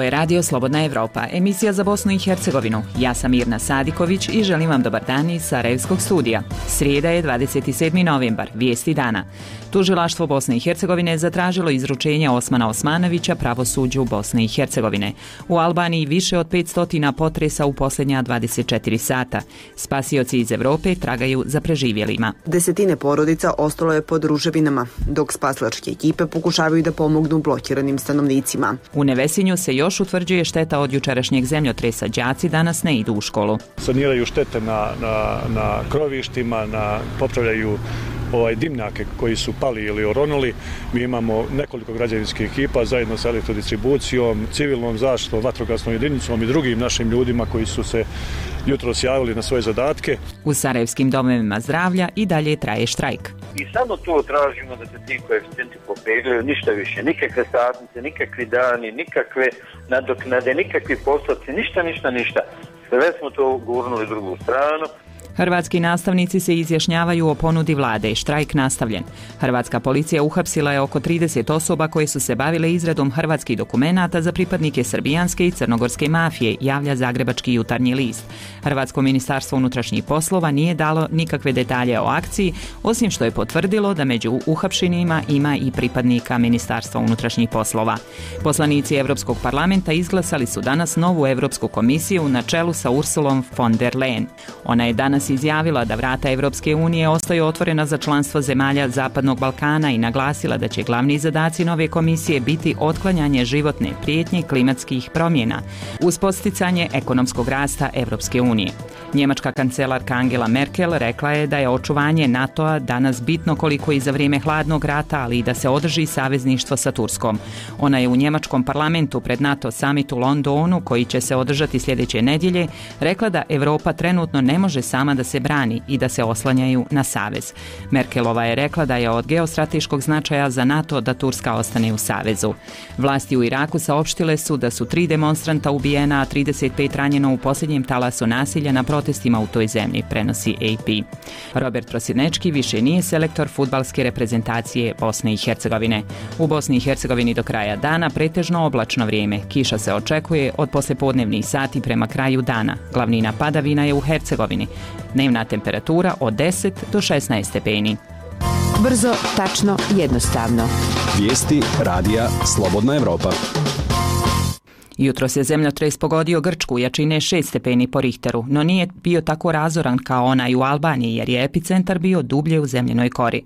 Ovo je Radio Slobodna Evropa, emisija za Bosnu i Hercegovinu. Ja sam Mirna Sadiković i želim vam dobar dan iz Sarajevskog studija. Srijeda je 27. novembar, vijesti dana. Tužilaštvo Bosne i Hercegovine zatražilo izručenje Osmana Osmanovića pravosuđu Bosne i Hercegovine. U Albaniji više od 500 potresa u posljednja 24 sata. Spasioci iz Evrope tragaju za preživjelima. Desetine porodica ostalo je pod ruševinama, dok spasilačke ekipe pokušavaju da pomognu blokiranim stanovnicima. U Nevesinju se još utvrđuje šteta od jučerašnjeg zemljotresa. Đaci danas ne idu u školu. Saniraju štete na krovištima, popravljaju dimnjake koji su pali ili oronuli. Mi imamo nekoliko građevinskih ekipa zajedno sa elektrodistribucijom, civilnom zaštitom, vatrogasnom jedinicom i drugim našim ljudima koji su se jutros javili na svoje zadatke. U sarajevskim domovima zdravlja i dalje traje štrajk. I samo to tražimo da se ti koeficijenti popeglaju, ništa više, nikakve satnice, nikakvi dani, nikakve nadoknade, nikakvi postupci, ništa. Sve smo to gurnuli drugu stranu. Hrvatski nastavnici se izjašnjavaju o ponudi vlade. Štrajk nastavljen. Hrvatska policija uhapsila je oko 30 osoba koje su se bavile izradom hrvatskih dokumenata za pripadnike srbijanske i crnogorske mafije, javlja Zagrebački jutarnji list. Hrvatsko ministarstvo unutrašnjih poslova nije dalo nikakve detalje o akciji, osim što je potvrdilo da među uhapšenima ima i pripadnika Ministarstva unutrašnjih poslova. Poslanici Europskog parlamenta izglasali su danas novu Europsku komisiju na čelu sa Ursulom von der Leyen. Ona je danas izjavila da vrata Evropske unije ostaju otvorena za članstvo zemalja Zapadnog Balkana i naglasila da će glavni zadaci nove komisije biti otklanjanje životne prijetnje klimatskih promjena uz podsticanje ekonomskog rasta Evropske unije. Njemačka kancelarka Angela Merkel rekla je da je očuvanje NATO-a danas bitno koliko i za vrijeme hladnog rata, ali i da se održi savezništvo sa Turskom. Ona je u njemačkom parlamentu pred NATO summit u Londonu, koji će se održati sljedeće nedjelje, rekla da Europa trenutno ne može sama da se brani i da se oslanjaju na savez. Merkelova je rekla da je od geostrateškog značaja za NATO da Turska ostane u savezu. Vlasti u Iraku saopštile su da su 3 demonstranta ubijena, a 35 ranjeno u posljednjem talasu nasilja na protestima u toj zemlji, prenosi AP. Robert Prosinečki više nije selektor fudbalske reprezentacije Bosne i Hercegovine. U Bosni i Hercegovini do kraja dana pretežno oblačno vrijeme. Kiša se očekuje od poslijepodnevnih sati prema kraju dana. Glavnina padavina je u Hercegovini. Dnevna temperatura od 10 do 16 stepeni. Brzo, tačno, jednostavno. Vijesti radija Slobodna Evropa. Jutros je zemljotres pogodio Grčku jačine 6 stepeni po Richteru, no nije bio tako razoran kao onaj u Albaniji jer je epicentar bio dublje u zemljenoj kori.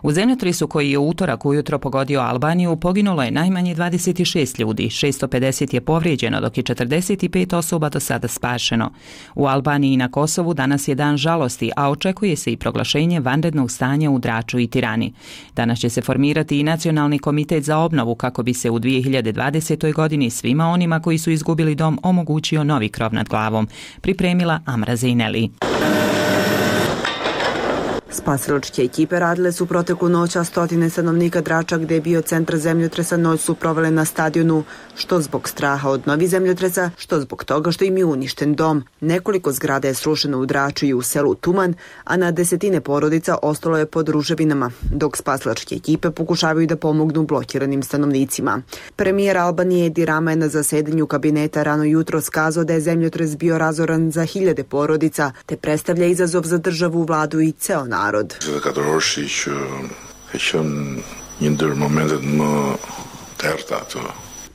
U zemljotresu koji je u utorak ujutro pogodio Albaniju poginulo je najmanje 26 ljudi, 650 je povrijeđeno dok je 45 osoba do sada spašeno. U Albaniji i na Kosovu danas je dan žalosti, a očekuje se i proglašenje vanrednog stanja u Draču i Tirani. Danas će se formirati i Nacionalni komitet za obnovu kako bi se u 2020. godini svima onima koji su izgubili dom omogućio novi krov nad glavom, pripremila Amra Zejneli. Spasilačke ekipe radile su proteklu noć, a stotine stanovnika Drača, gdje je bio centar zemljotresa, noć su provele na stadionu, što zbog straha od novih zemljotresa, što zbog toga što im je uništen dom. Nekoliko zgrada je srušeno u Draču i u selu Tuman, a na desetine porodica ostalo je pod ruševinama, dok spasilačke ekipe pokušavaju da pomognu blokiranim stanovnicima. Premijer Albanije Edi Rama je na zasedanju kabineta rano jutro skazao da je zemljotres bio razoran za hiljade porodica, te predstavlja izazov za državu, vladu i ceo narod.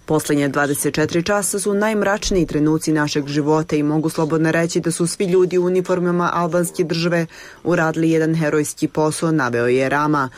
Posljednje 24 časa su najmračniji trenuci našeg života i mogu slobodno reći da su svi ljudi u uniformama albanske države uradili jedan herojski posao, naveo je Rama.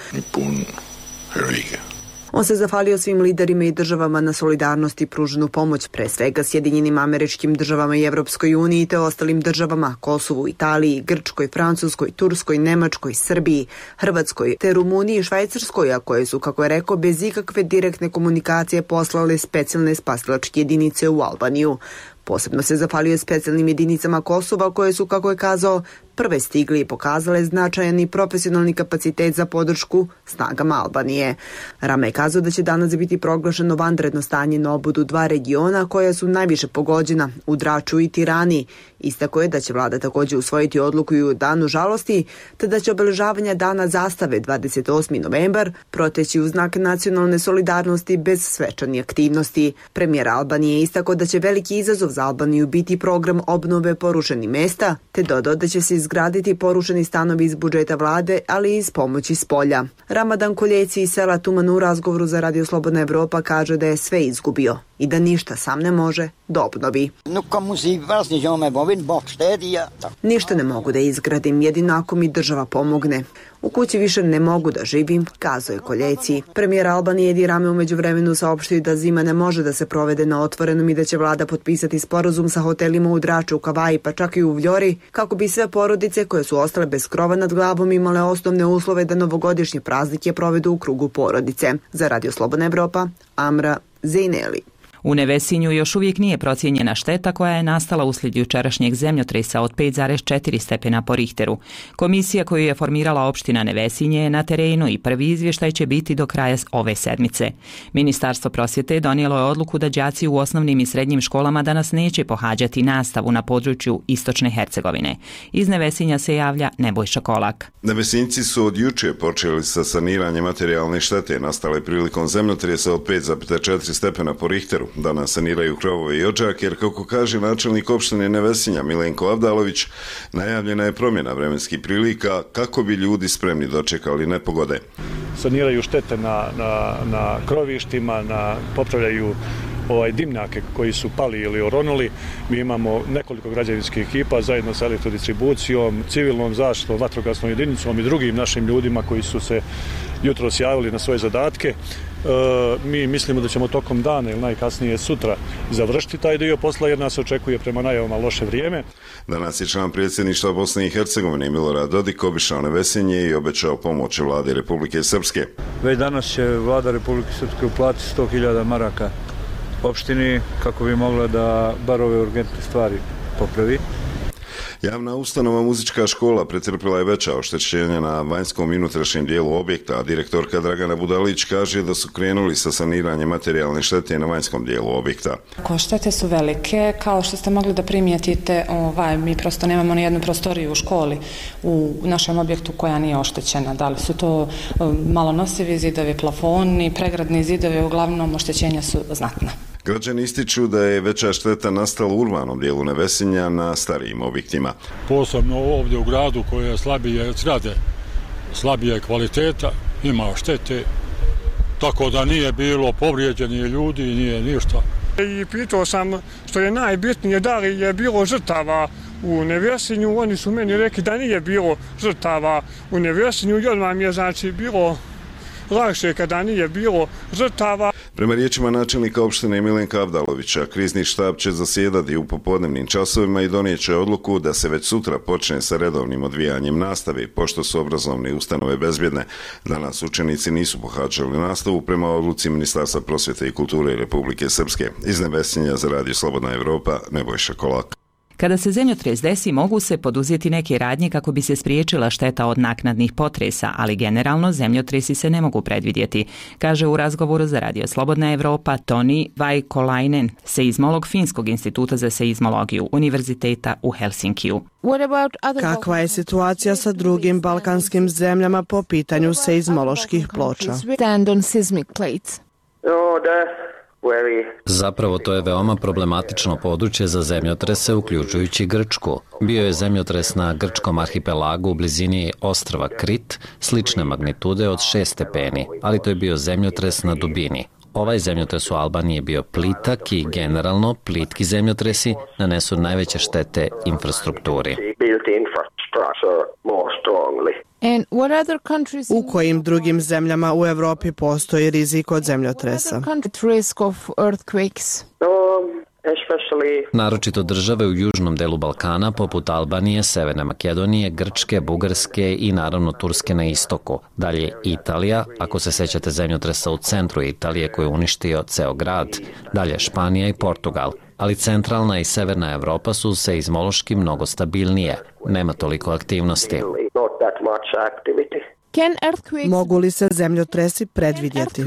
On se zahvalio svim liderima i državama na solidarnosti i pruženu pomoć, pre svega Sjedinjenim Američkim Državama i Evropskoj uniji te ostalim državama, Kosovu, Italiji, Grčkoj, Francuskoj, Turskoj, Nemačkoj, Srbiji, Hrvatskoj te Rumuniji i Švajcarskoj, a koje su, kako je rekao, bez ikakve direktne komunikacije poslale specijalne spasilačke jedinice u Albaniju. Posebno se zahvalio specijalnim jedinicama Kosova koje su, kako je kazao, prve stigli i pokazale značajan i profesionalni kapacitet za podršku snagama Albanije. Rama je kazao da će danas biti proglašeno vanredno stanje na obodu dva regiona koja su najviše pogođena, u Draču i Tirani. Istako je da će vlada također usvojiti odluku i u danu žalosti, te da će obeležavanje dana zastave 28. novembar proteći u znak nacionalne solidarnosti bez svečanih aktivnosti. Premijer Albanije je istako da će veliki izazov za Albaniju biti program obnove porušenih mesta, te dodao da će se izgraditi porušeni stanovi iz budžeta vlade, ali i iz pomoći s polja. Ramadan Koljeci iz sela Tuman u razgovoru za Radio Slobodna Evropa kaže da je sve izgubio i da ništa sam ne može da obnovi. Ništa ne mogu da izgradim, jedino ako mi država pomogne. U kući više ne mogu da živim, kazao je Koljeci. Premijer Albanije Edi Rame u međuvremenu saopštio da zima ne može da se provede na otvorenom i da će vlada potpisati sporazum sa hotelima u Draču, u Kavaji pa čak i u Vljori, kako bi sve porodice koje su ostale bez krova nad glavom imale osnovne uslove da novogodišnje praznike provedu u krugu porodice. Za Radio Slobodna Evropa, Amra Zejneli. U Nevesinju još uvijek nije procijenjena šteta koja je nastala uslijed jučerašnjeg zemljotresa od 5,4 stepena po Richteru. Komisija koju je formirala opština Nevesinje je na terenu i prvi izvještaj će biti do kraja ove sedmice. Ministarstvo prosvjete donijelo je odluku da đaci u osnovnim i srednjim školama danas neće pohađati nastavu na području Istočne Hercegovine. Iz Nevesinja se javlja Nebojša Kolak. Nevesinjci su od juče počeli sa saniranjem materijalne štete nastale prilikom zemljotresa od 5,4 stepena po Richteru. Danas saniraju krovove i odžake, jer kako kaže načelnik opštine Nevesinja Milenko Avdalović, najavljena je promjena vremenskih prilika kako bi ljudi spremni dočekali nepogode. Saniraju štete na krovištima, popravljaju dimnjake koji su pali ili oronuli. Mi imamo nekoliko građevinskih ekipa zajedno sa elektrodistribucijom, civilnom zaštitom, vatrogasnom jedinicom i drugim našim ljudima koji su se jutros javili na svoje zadatke. Mi mislimo da ćemo tokom dana ili najkasnije sutra završiti taj dio posla jer nas očekuje prema najavama loše vrijeme. Danas je član predsjedništva Bosne i Hercegovine Milorad Dodik obišao Nevesinje i obećao pomoć vladi Republike Srpske. Već danas će vlada Republike Srpske uplatiti 100.000 maraka opštini kako bi mogla da bar ove urgentne stvari popravi. Javna ustanova Muzička škola pretrpila je veća oštećenja na vanjskom i unutrašnjem dijelu objekta, a direktorka Dragana Budalić kaže da su krenuli sa saniranjem materijalne štete na vanjskom dijelu objekta. Štete su velike, kao što ste mogli da primijetite, mi prosto nemamo ni jednu prostoriju u školi u našem objektu koja nije oštećena. Da li su to malo nosivi zidovi, plafoni, pregradni zidovi, uglavnom oštećenja su znatna. Građani ističu da je veća šteta nastala u urbanom dijelu Nevesinja na starijim objektima. Posebno ovdje u gradu koje je slabije zgrade, slabije kvaliteta, ima štete, tako da nije bilo povrijeđenih ljudi, nije ništa. I pitao sam što je najbitnije da li je bilo žrtava u Nevesinju, oni su meni rekli da nije bilo žrtava u Nevesinju i odmah mi je znači bilo lakše kada nije bilo žrtava. Prema riječima načelnika opštine Milenka Avdalovića, krizni štab će zasjedati u popodnevnim časovima i donijet će odluku da se već sutra počne sa redovnim odvijanjem nastave, pošto su obrazovne ustanove bezbjedne. Danas učenici nisu pohađali nastavu prema odluci Ministarstva prosvjete i kulture Republike Srpske. Iz Nevesinja za Radio Slobodna Evropa, Nebojša Kolak. Kada se zemljotres desi, mogu se poduzeti neke radnje kako bi se spriječila šteta od naknadnih potresa, ali generalno zemljotresi se ne mogu predvidjeti, kaže u razgovoru za Radio Slobodna Evropa Toni Vaikolainen, seizmolog Finskog instituta za seizmologiju Univerziteta u Helsinkiju. Kakva je situacija sa drugim balkanskim zemljama po pitanju seizmoloških ploča? Zapravo to je veoma problematično područje za zemljotrese, uključujući Grčku. Bio je zemljotres na grčkom arhipelagu u blizini ostrva Krit, slične magnitude od 6 stepeni, ali to je bio zemljotres na dubini. Ovaj zemljotres u Albaniji je bio plitak i generalno plitki zemljotresi nanesu najveće štete infrastrukturi. U kojim drugim zemljama u Evropi postoji rizik od zemljotresa? Naročito države u južnom delu Balkana, poput Albanije, Severne Makedonije, Grčke, Bugarske i naravno Turske na istoku. Dalje Italija, ako se sećate zemljotresa u centru Italije koji je uništio ceo grad. Dalje Španija i Portugal. ali centralna i severna Evropa su seizmološki mnogo stabilnije. Nema toliko aktivnosti. Mogu li se zemljotresi predvidjeti?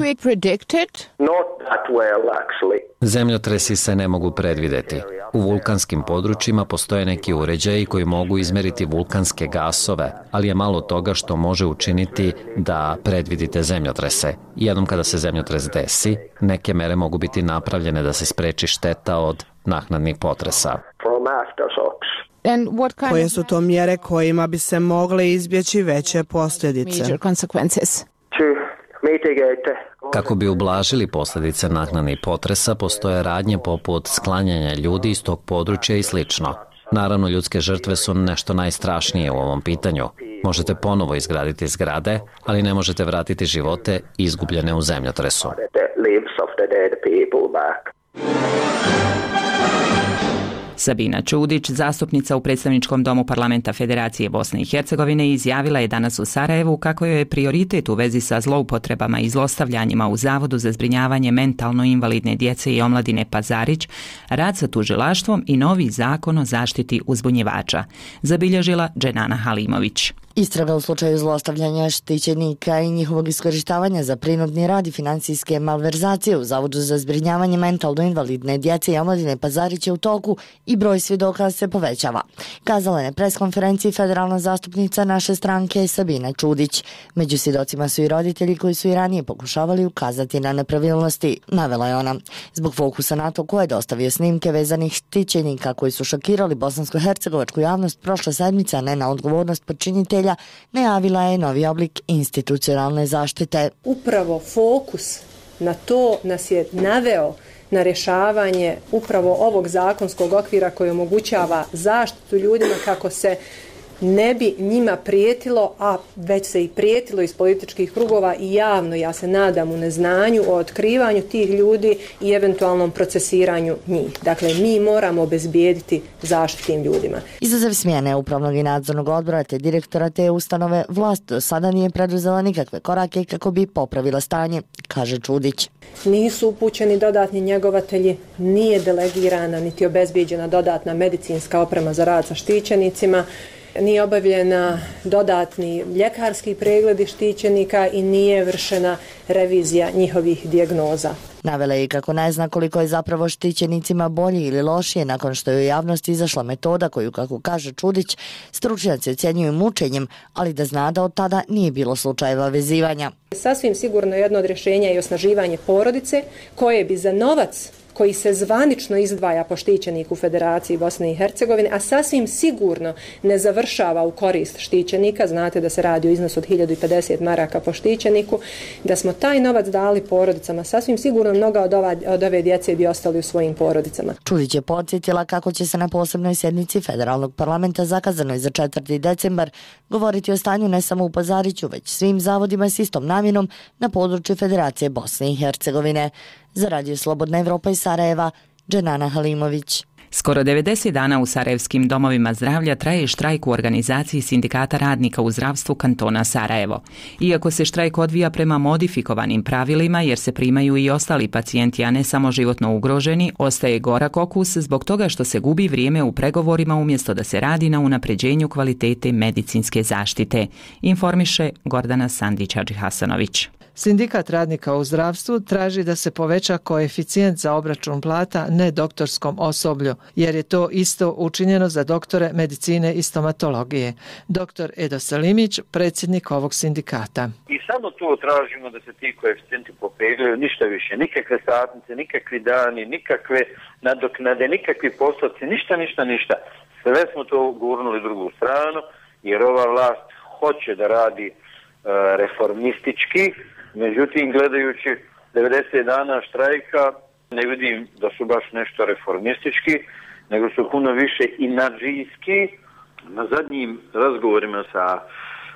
Zemljotresi se ne mogu predvidjeti. U vulkanskim područjima postoje neki uređaji koji mogu izmeriti vulkanske gasove, ali je malo toga što može učiniti da predvidite zemljotrese. Jednom kada se zemljotres desi, neke mere mogu biti napravljene da se spreči šteta od naknadnih potresa. Koje su to mjere kojima bi se mogle izbjeći veće posljedice? Kako bi ublažili posljedice naknadnih potresa, postoje radnje poput sklanjanja ljudi iz tog područja i slično. Naravno, ljudske žrtve su nešto najstrašnije u ovom pitanju. Možete ponovo izgraditi zgrade, ali ne možete vratiti živote izgubljene u zemljotresu. Sabina Čudić, zastupnica u predstavničkom domu Parlamenta Federacije Bosne i Hercegovine, izjavila je danas u Sarajevu kako joj je prioritet u vezi sa zloupotrebama i zlostavljanjima u Zavodu za zbrinjavanje mentalno invalidne djece i omladine Pazarić, rad sa tužilaštvom i novi zakon o zaštiti uzbunjivača, zabilježila Dženana Halimović. Istraga u slučaju zlostavljanja štićenika i njihovog iskorištavanja za prinudni rad i financijske malverzacije u Zavodu za zbrinjavanje mentalno invalidne djece i omladine Pazarić je u toku i broj svjedoka se povećava, kazala je na preskonferenciji federalna zastupnica naše stranke Sabina Čudić. Među svjedocima su i roditelji koji su i ranije pokušavali ukazati na nepravilnosti, navela je ona. Zbog fokusa na to ko je dostavio snimke vezanih štićenika koji su šokirali bosansko-hercegovačku javnost prošle sedmice, a ne na odgovornost počinitelja, najavila je novi oblik institucionalne zaštite. Upravo fokus na to nas je naveo na rješavanje upravo ovog zakonskog okvira koji omogućava zaštitu ljudima kako se ne bi njima prijetilo, a već se i prijetilo iz političkih krugova i javno, ja se nadam, u neznanju o otkrivanju tih ljudi i eventualnom procesiranju njih. Dakle, mi moramo obezbijediti zaštitu tim ljudima. Izuzev smjene upravnog i nadzornog odbora te direktora te ustanove, vlast do sada nije preduzela nikakve korake kako bi popravila stanje, kaže Čudić. Nisu upućeni dodatni njegovatelji, nije delegirana niti obezbijeđena dodatna medicinska oprema za rad sa štićenicima, nije obavljena dodatni ljekarski pregledi štićenika i nije vršena revizija njihovih dijagnoza. Navela je i kako ne zna koliko je zapravo štićenicima bolje ili lošije nakon što je u javnosti izašla metoda koju, kako kaže Čudić, stručnjaci ocjenjuju mučenjem, ali da zna da od tada nije bilo slučajeva vezivanja. Sasvim sigurno jedno od rješenja je osnaživanje porodice koje bi za novac koji se zvanično izdvaja po štićeniku Federaciji Bosne i Hercegovine, a sasvim sigurno ne završava u korist štićenika, znate da se radi o iznosu od 1050 maraka po štićeniku, da smo taj novac dali porodicama, sasvim sigurno mnoga od ove djece bi ostali u svojim porodicama. Čudić je podsjetila kako će se na posebnoj sjednici Federalnog parlamenta zakazanoj za 4. decembar govoriti o stanju ne samo u Pazariću, već svim zavodima s istom namjenom na području Federacije Bosne i Hercegovine. Za Radio Slobodna Evropa iz Sarajeva, Dženana Halimović. Skoro 90 dana u sarajevskim domovima zdravlja traje štrajk u organizaciji Sindikata radnika u zdravstvu kantona Sarajevo. Iako se štrajk odvija prema modifikovanim pravilima jer se primaju i ostali pacijenti, a ne samo životno ugroženi, ostaje gorak okus zbog toga što se gubi vrijeme u pregovorima umjesto da se radi na unapređenju kvalitete medicinske zaštite, informiše Gordana Sandić-Hadžihasanović. Sindikat radnika u zdravstvu traži da se poveća koeficijent za obračun plata nedoktorskom osoblju, jer je to isto učinjeno za doktore medicine i stomatologije. Dr. Edo Salimić, predsjednik ovog sindikata. I samo to tražimo da se ti koeficijenti popegljuju, ništa više, nikakve satnice, nikakvi dani, nikakve nadoknade, nikakvi postupci, ništa. Sve smo to gurnuli drugu stranu, jer ova vlast hoće da radi reformistički. Međutim, gledajući 90 dana štrajka, ne vidim da su baš nešto reformistički, nego su puno više inadžijski. Na zadnjim razgovorima sa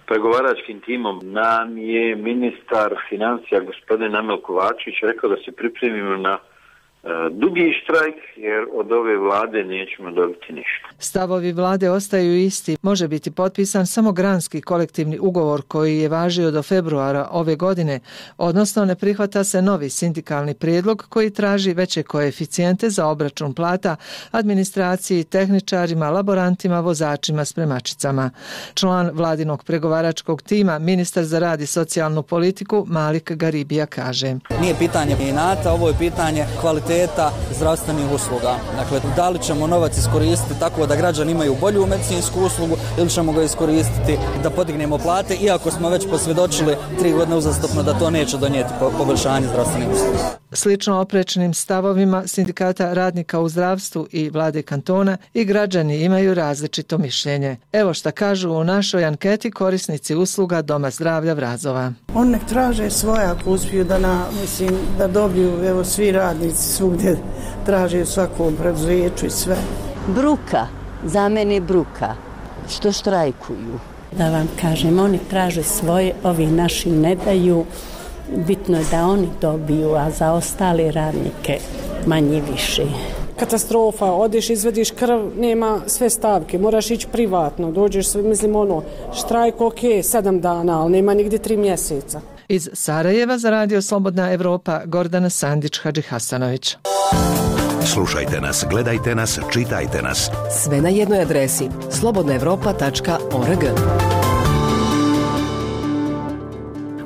pregovaračkim timom nam je ministar financija gospodin Amel Kovačević rekao da se pripremimo na dugi štrajk, jer od ove vlade nećemo dobiti ništa. Stavovi vlade ostaju isti. Može biti potpisan samo granski kolektivni ugovor koji je važio do februara ove godine, odnosno ne prihvata se novi sindikalni prijedlog koji traži veće koeficijente za obračun plata administraciji, tehničarima, laborantima, vozačima, spremačicama. Član vladinog pregovaračkog tima, ministar za rad i socijalnu politiku Malik Garibija kaže: Nije pitanje inata, ovo je pitanje kvaliteta zdravstvenih usluga. Dakle, da li ćemo novac iskoristiti tako da građani imaju bolju medicinsku uslugu ili ćemo ga iskoristiti da podignemo plate, iako smo već posvjedočili 3 godine uzastopno da to neće donijeti poboljšanje zdravstvenih usluga. Slično oprečnim stavovima sindikata radnika u zdravstvu i vlade kantona i građani imaju različito mišljenje. Evo šta kažu u našoj anketi korisnici usluga Doma zdravlja Vrazova. On nek traže svoje ako uspiju da dobiju, evo svi radnici svugdje traže u svakom preduzeću i sve. Bruka, za mene bruka, što štrajkuju. Da vam kažem, oni traže svoje, ovi naši ne daju. Bitno je da oni dobiju, a za ostale radnike manje više. Katastrofa, odeš, izvediš krv, nema sve stavke, moraš ići privatno, dođeš, štrajk ok, 7 dana, ali nema nigdje 3 mjeseca. Iz Sarajeva za Radio Slobodna Evropa, Gordana Sandić-Hadži Hasanović. Slušajte nas, gledajte nas, čitajte nas. Sve na jednoj adresi slobodnaevropa.org.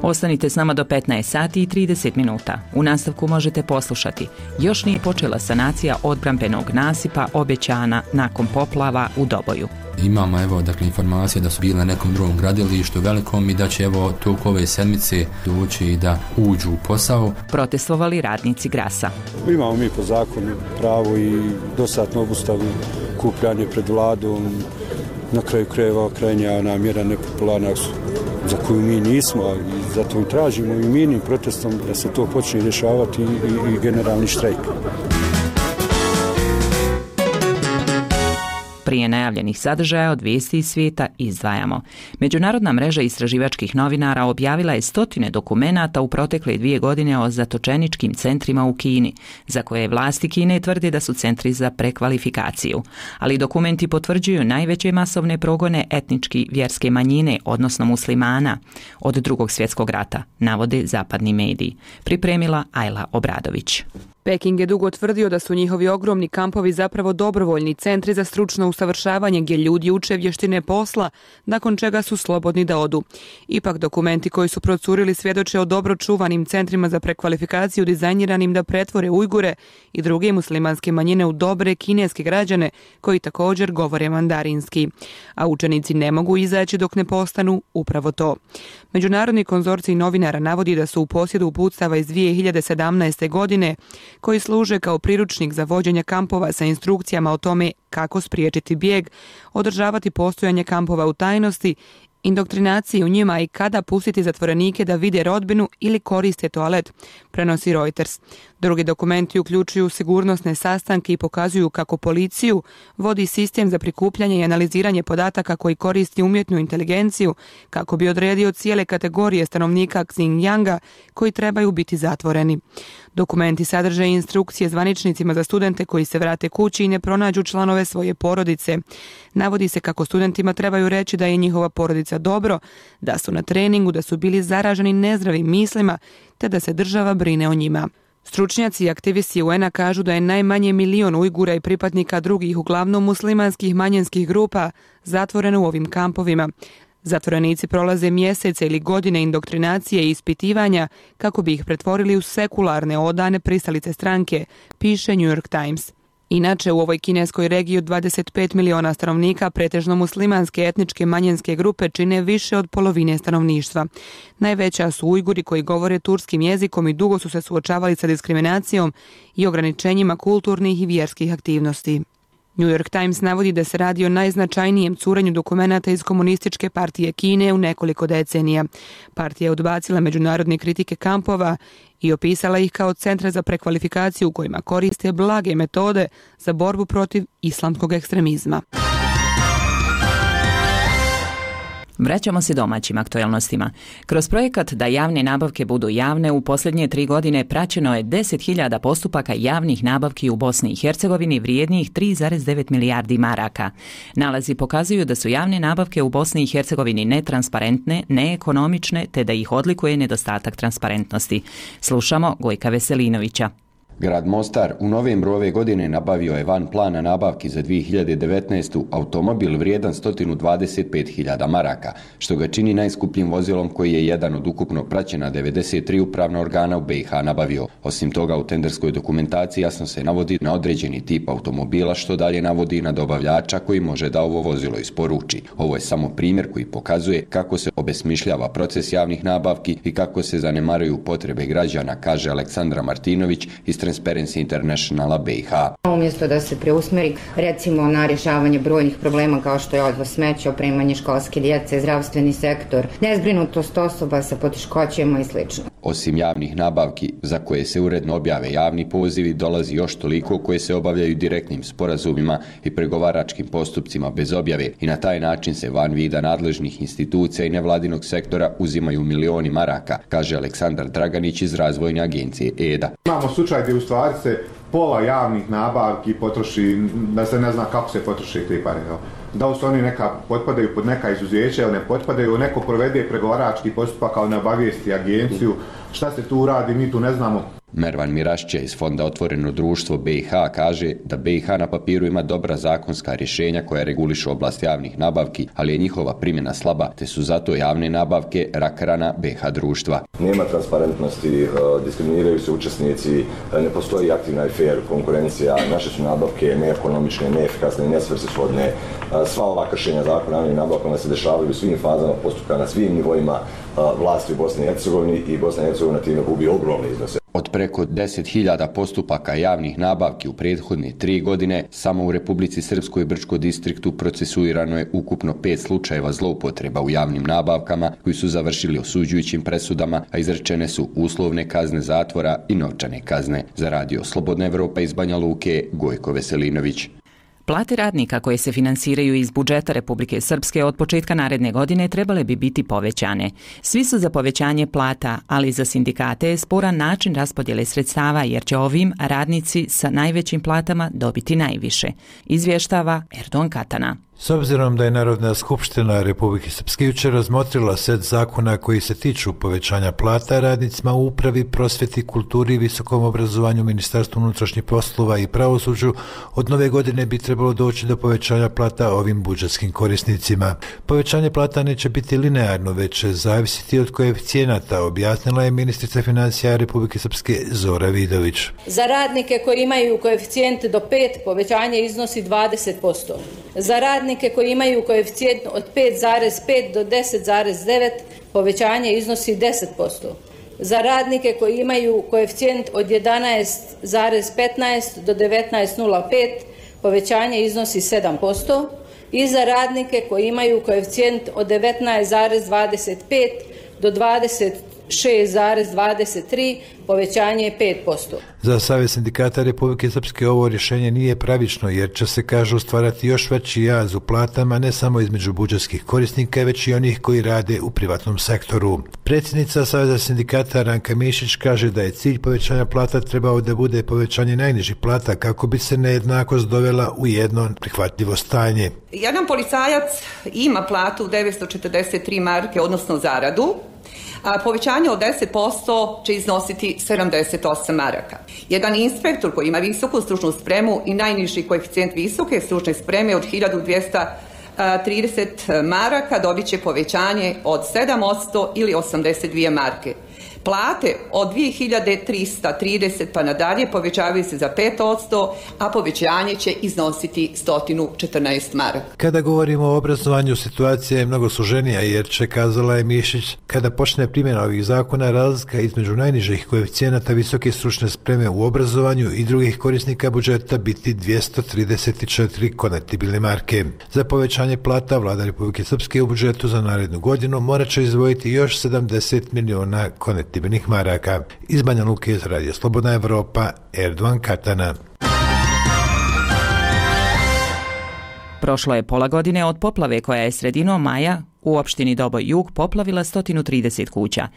Ostanite s nama do 15 sati i 30 minuta. U nastavku možete poslušati. Još nije počela sanacija odbrambenog nasipa obećana nakon poplava u Doboju. Imamo informacije da su bili na nekom drugom gradilištu velikom i da će toliko ove sedmice doći i da uđu u posao. Protestovali radnici Grasa. Imamo mi po zakonu pravo i dostatnu obustavu kupljanje pred vladom. Na kraju krajeva krajnja namjera nepopularna za koju mi nismo i zato i tražimo i mirnim protestom da se to počne rješavati i generalni štrajk. Prije najavljenih sadržaja od vijesti iz svijeta izdvajamo. Međunarodna mreža istraživačkih novinara objavila je 100 dokumenata u protekle 2 godine o zatočeničkim centrima u Kini, za koje vlasti Kine tvrde da su centri za prekvalifikaciju. Ali dokumenti potvrđuju najveće masovne progone etnički vjerske manjine, odnosno muslimana, od Drugog svjetskog rata, navode zapadni mediji. Pripremila Ajla Obradović. Peking je dugo tvrdio da su njihovi ogromni kampovi zapravo dobrovoljni centri za stručno usavršavanje gdje ljudi uče vještine posla, nakon čega su slobodni da odu. Ipak dokumenti koji su procurili svjedoče o dobro čuvanim centrima za prekvalifikaciju dizajniranim da pretvore Ujgure i druge muslimanske manjine u dobre kineske građane koji također govore mandarinski. A učenici ne mogu izaći dok ne postanu upravo to. Međunarodni konzorcij novinara navodi da su u posjedu uputstava iz 2017. godine koji služe kao priručnik za vođenje kampova sa instrukcijama o tome kako spriječiti bijeg, održavati postojanje kampova u tajnosti, indoktrinaciji u njima i kada pustiti zatvorenike da vide rodbinu ili koriste toalet, prenosi Reuters. Drugi dokumenti uključuju sigurnosne sastanke i pokazuju kako policiju vodi sistem za prikupljanje i analiziranje podataka koji koristi umjetnu inteligenciju kako bi odredio cijele kategorije stanovnika Xinjianga koji trebaju biti zatvoreni. Dokumenti sadrže instrukcije zvaničnicima za studente koji se vrate kući i ne pronađu članove svoje porodice. Navodi se kako studentima trebaju reći da je njihova porodica dobro, da su na treningu, da su bili zaraženi nezdravim mislima, te da se država brine o njima. Stručnjaci i aktivisti UN-a kažu da je najmanje 1 milion Ujgura i pripadnika drugih, uglavnom muslimanskih manjinskih grupa, zatvoreno u ovim kampovima. Zatvorenici prolaze mjesece ili godine indoktrinacije i ispitivanja kako bi ih pretvorili u sekularne odane pristalice stranke, piše New York Times. Inače, u ovoj kineskoj regiji od 25 miliona stanovnika pretežno muslimanske etničke manjinske grupe čine više od polovine stanovništva. Najveća su Ujguri koji govore turskim jezikom i dugo su se suočavali sa diskriminacijom i ograničenjima kulturnih i vjerskih aktivnosti. New York Times navodi da se radi o najznačajnijem curenju dokumenata iz Komunističke partije Kine u nekoliko decenija. Partija je odbacila međunarodne kritike kampova i opisala ih kao centre za prekvalifikaciju u kojima koriste blage metode za borbu protiv islamskog ekstremizma. Vraćamo se domaćim aktualnostima. Kroz projekat Da javne nabavke budu javne u posljednje 3 godine praćeno je 10.000 postupaka javnih nabavki u Bosni i Hercegovini vrijednijih 3,9 milijardi maraka. Nalazi pokazuju da su javne nabavke u Bosni i Hercegovini netransparentne, neekonomične te da ih odlikuje nedostatak transparentnosti. Slušamo Gojka Veselinovića. Grad Mostar u novembru ove godine nabavio je van plana nabavki za 2019. automobil vrijedan 125.000 maraka, što ga čini najskupljim vozilom koji je jedan od ukupno praćena 93 upravna organa u BiH nabavio. Osim toga, u tenderskoj dokumentaciji jasno se navodi na određeni tip automobila, što dalje navodi na dobavljača koji može da ovo vozilo isporuči. Ovo je samo primjer koji pokazuje kako se obesmišljava proces javnih nabavki i kako se zanemaruju potrebe građana, kaže Aleksandra Martinović iz Transparency Internationala BiH. Umjesto da se preusmeri recimo na rješavanje brojnih problema kao što je odvoz smeća, opremanje školske djece, zdravstveni sektor, nezbrinutost osoba sa poteškoćama i sl. Osim javnih nabavki za koje se uredno objave javni pozivi, dolazi još toliko koje se obavljaju direktnim sporazumima i pregovaračkim postupcima bez objave i na taj način se van vida nadležnih institucija i nevladinog sektora uzimaju milioni maraka, kaže Aleksandar Draganić iz razvojne agencije EDA. Imamo slučaj gdje u stvari se pola javnih nabavki potroši, da se ne zna kako se potroši te pare. Da li su oni potpadaju pod neka izuzeća ili ne potpadaju, neko provede pregovarački postupak, ali ne obavijesti agenciju. Šta se tu radi, mi tu ne znamo. Mervan Mirašće iz Fonda Otvoreno društvo BiH kaže da BiH na papiru ima dobra zakonska rješenja koja regulišu oblast javnih nabavki, ali je njihova primjena slaba, te su zato javne nabavke rak rana BiH društva. Nema transparentnosti, diskriminiraju se učesnici, ne postoji aktivna i fair konkurencija, naše su nabavke neekonomične, neefikasne, nesvrsishodne. Sva ova kršenja zakona o javnim nabavkama se dešavaju u svim fazama postupka na svim nivoima vlasti u Bosni i Hercegovini i Bosna i Hercegovina time gubi ogromne iznose. Od preko 10.000 postupaka javnih nabavki u prethodne 3 godine, samo u Republici Srpskoj i Brčkom distriktu procesuirano je ukupno 5 slučajeva zloupotreba u javnim nabavkama koji su završili osuđujućim presudama, a izrečene su uslovne kazne zatvora i novčane kazne. Za radio Slobodna Evropa iz Banja Luke, Gojko Veselinović. Plate radnika koje se finansiraju iz budžeta Republike Srpske od početka naredne godine trebale bi biti povećane. Svi su za povećanje plata, ali za sindikate je sporan način raspodjele sredstava jer će ovim radnici sa najvećim platama dobiti najviše, izvještava Erdogan Katana. S obzirom da je Narodna skupština Republike Srpske jučer razmotrila set zakona koji se tiču povećanja plata radnicima u upravi, prosvjeti, kulturi, visokom obrazovanju, Ministarstvu unutrašnjih poslova i pravosuđu, od nove godine bi trebalo doći do povećanja plata ovim budžetskim korisnicima. Povećanje plata neće biti linearno, već će zavisiti od koeficijenata, objasnila je ministrica financija Republike Srpske Zora Vidović. Za radnike koji imaju koeficijent do 5, povećanje iznosi 20%. Za radnike koji imaju koeficijent od 5,5 do 10,9, povećanje iznosi 10%. Za radnike koji imaju koeficijent od 11,15 do 19,05, povećanje iznosi 7%. I za radnike koji imaju koeficijent od 19,25 do 26,23, povećanje je 5%. Za Savez sindikata Republike Srpske ovo rješenje nije pravično jer će se, kažu, stvarati još veći jaz u platama ne samo između budžetskih korisnika, već i onih koji rade u privatnom sektoru. Predsjednica Saveza sindikata Ranka Mišić kaže da je cilj povećanja plata trebao da bude povećanje najnižih plata kako bi se nejednakost dovela u jedno prihvatljivo stanje. Jedan policajac ima platu 943 marke, odnosno zaradu, a povećanje od 10% će iznositi 78 maraka. Jedan inspektor koji ima visoku stručnu spremu i najniži koeficijent visoke stručne spreme od 1230 maraka dobit će povećanje od 7% ili 82 marke. Plate od 2330 pa nadalje povećavaju se za 5%, a povećanje će iznositi 114 maraka. Kada govorimo o obrazovanju, situacija je mnogo složenija jer će, kazala je Mišić, kada počne primjena ovih zakona, razlika između najnižih koeficijenata visoke stručne spreme u obrazovanju i drugih korisnika budžeta biti 234 konvertibilne marke. Za povećanje plata Vlada Republike Srpske u budžetu za narednu godinu morat će izdvojiti još 70 miliona konvertibilnih maraka. Iz Banja Luke za radio Slobodna Evropa, Erdogan Katana. Prošlo je pola godine od poplave koja je sredinom maja U opštini Doboj Jug poplavila 130 kuća.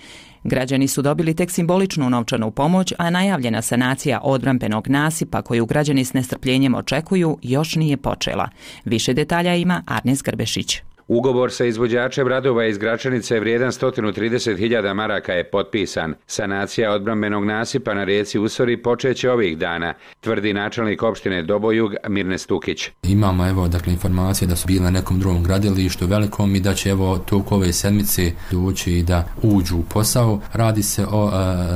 Građani su dobili tek simboličnu novčanu pomoć, a najavljena sanacija odbrambenog nasipa koju građani s nestrpljenjem očekuju još nije počela. Više detalja ima Arnes Grbešić. Ugovor sa izvođačem radova iz Gračanice vrijedan 130.000 maraka je potpisan. Sanacija odbrambenog nasipa na rijeci Usori počeće ovih dana, tvrdi načelnik opštine Dobojug Mirne Stukić. Imamo informacije da su bile na nekom drugom gradilištu velikom i da će toliko ove sedmice doći da uđu u posao. Radi se o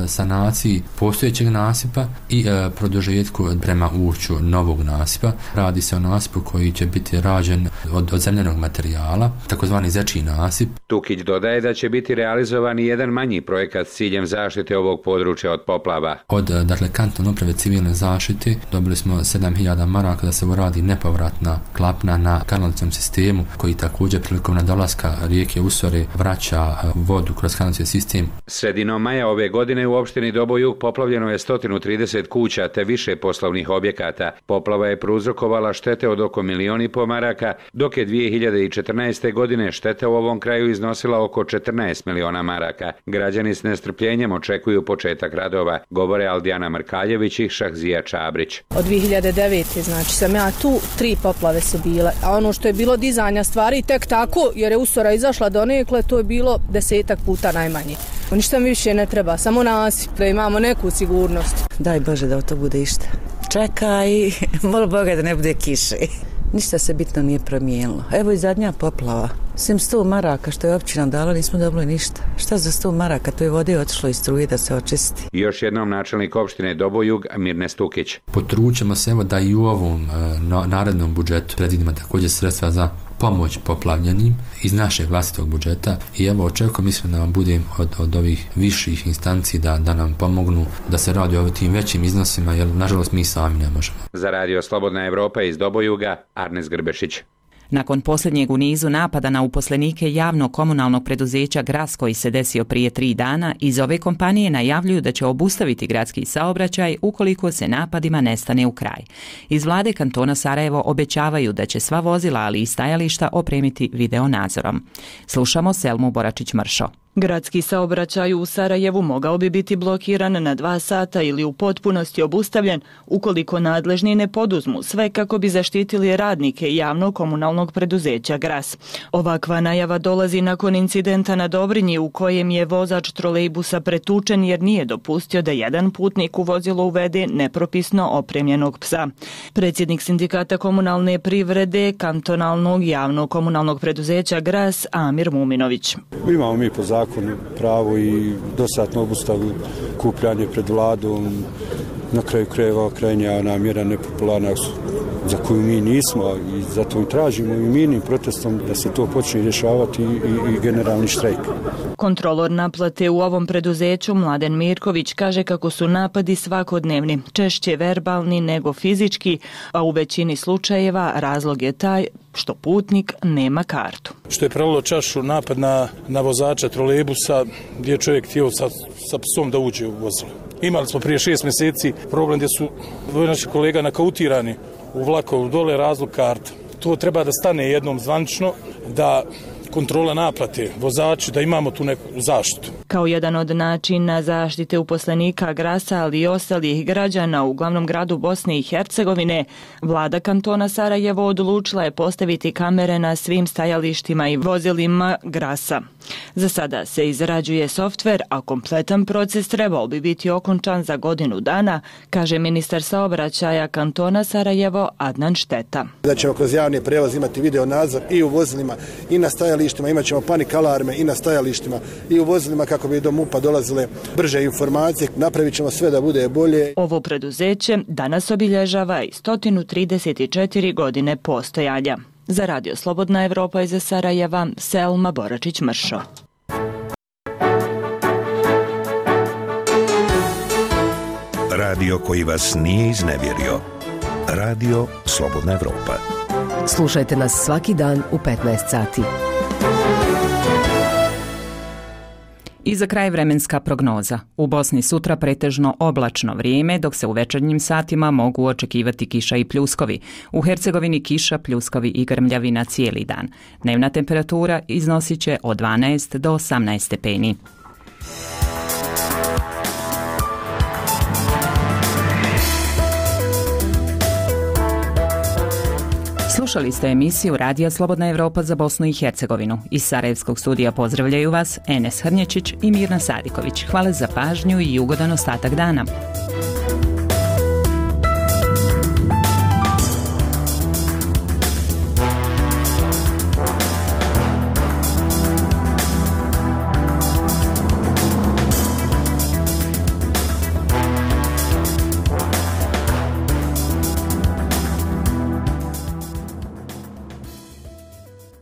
sanaciji postojećeg nasipa i produžetku prema ušću novog nasipa. Radi se o nasipu koji će biti rađen od zemljanog materijala, takozvani zečji nasip. Tukić dodaje da će biti realizovan i jedan manji projekat s ciljem zaštite ovog područja od poplava. Od kantonalne uprave civilne zaštite dobili smo 7.000 maraka da se uradi nepovratna klapna na kanalizacijskom sistemu koji također prilikom nadolaska rijeke Usore vraća vodu kroz kanalizacijski sistem. Sredinom maja ove godine u opštini Dobojug poplavljeno je 130 kuća te više poslovnih objekata. Poplava je prouzrokovala štete od oko 1,5 miliona maraka, dok je 2014. godine šteta u ovom kraju iznosila oko 14 miliona maraka. Građani s nestrpljenjem očekuju početak radova, govore Aldijana Mrkaljević i Šahzija Čabrić. Od 2009. znači sam ja tu, 3 poplave su bile, a ono što je bilo dizanja stvari tek tako, jer je Usora izašla donekle, to je bilo 10 puta najmanje. Ništa mi više ne treba, samo nasip, da imamo neku sigurnost. Daj Bože da to bude išta. Čekaj, moli Boga da ne bude kiše. Ništa se bitno nije promijenilo. Evo i zadnja poplava. Sem 100 maraka što je općina dala, nismo dobili ništa. Šta za 100 maraka? To je vode otišlo iz struje da se očisti. Još jednom načelnik opštine Dobojug Mirne Stukić. Potručimo se da i u ovom narednom budžetu predvidimo također sredstva za pomoć poplavljenim iz našeg vlastitog budžeta i očekujem, mislim da vam budem od ovih viših instanci da nam pomognu da se radi o tim većim iznosima, jer nažalost mi sami ne možemo. Za Radio Slobodna Evropa iz Dobojuga, Arnes Grbešić. Nakon posljednjeg u nizu napada na uposlenike javnog komunalnog preduzeća Gras koji se desio prije 3 dana, iz ove kompanije najavljuju da će obustaviti gradski saobraćaj ukoliko se napadima ne stane u kraj. Iz vlade kantona Sarajevo obećavaju da će sva vozila, ali i stajališta opremiti video nadzorom. Slušamo Selmu Boračić-Mršo. Gradski saobraćaj u Sarajevu mogao bi biti blokiran na 2 sata ili u potpunosti obustavljen ukoliko nadležni ne poduzmu sve kako bi zaštitili radnike javnog komunalnog preduzeća Gras. Ovakva najava dolazi nakon incidenta na Dobrinji u kojem je vozač trolejbusa pretučen jer nije dopustio da jedan putnik u vozilo uvede nepropisno opremljenog psa. Predsjednik sindikata komunalne privrede kantonalnog javnog komunalnog preduzeća Gras Amir Muminović. Imamo mi po zakonu pravo i dosatnu obustavu kupljanje pred vladom, na kraju krajeva krajnja mjera nepopularna za koju mi nismo i zato i tražimo i mirnim protestom da se to počne rješavati i generalni štrajk. Kontrolor naplate u ovom preduzeću Mladen Mirković kaže kako su napadi svakodnevni, češće verbalni nego fizički, a u većini slučajeva razlog je taj što putnik nema kartu. Što je prelilo čašu napad na vozača trolejbusa gdje je čovjek htio sa psom da uđe u vozilo. Imali smo prije 6 mjeseci problem gdje su naši kolega nakautirani u vlakovu, dole razlog karta. To treba da stane jednom zvanično, da kontrola naplate vozači, da imamo tu neku zaštitu. Kao jedan od načina zaštite uposlenika Grasa, ali i ostalih građana u glavnom gradu Bosne i Hercegovine, vlada kantona Sarajevo odlučila je postaviti kamere na svim stajalištima i vozilima Grasa. Za sada se izrađuje softver, a kompletan proces trebao bi biti okončan za godinu dana, kaže ministar saobraćaja kantona Sarajevo Adnan Šteta. Da ćemo kroz javni prevoz imati video nadzor i u vozilima i na stajalištima, imat ćemo panik alarme i na stajalištima i u vozilima kako bi do MUP-a dolazile brže informacije. Napravit ćemo sve da bude bolje. Ovo preduzeće danas obilježava i 134 godine postojanja. Za Radio Slobodna Evropa iz Sarajeva, Selma Boračić-Mršo. Radio koji vas nije iznevjerio. Radio Slobodna Evropa. Slušajte nas svaki dan u 15 sati. I za kraj vremenska prognoza. U Bosni sutra pretežno oblačno vrijeme, dok se u večernjim satima mogu očekivati kiša i pljuskovi. U Hercegovini kiša, pljuskovi i grmljavina cijeli dan. Dnevna temperatura iznosit će od 12 do 18 stepeni. Slušali ste emisiju Radija Slobodna Evropa za Bosnu i Hercegovinu. Iz Sarajevskog studija pozdravljaju vas Enes Hrnječić i Mirna Sadiković. Hvala za pažnju i ugodan ostatak dana.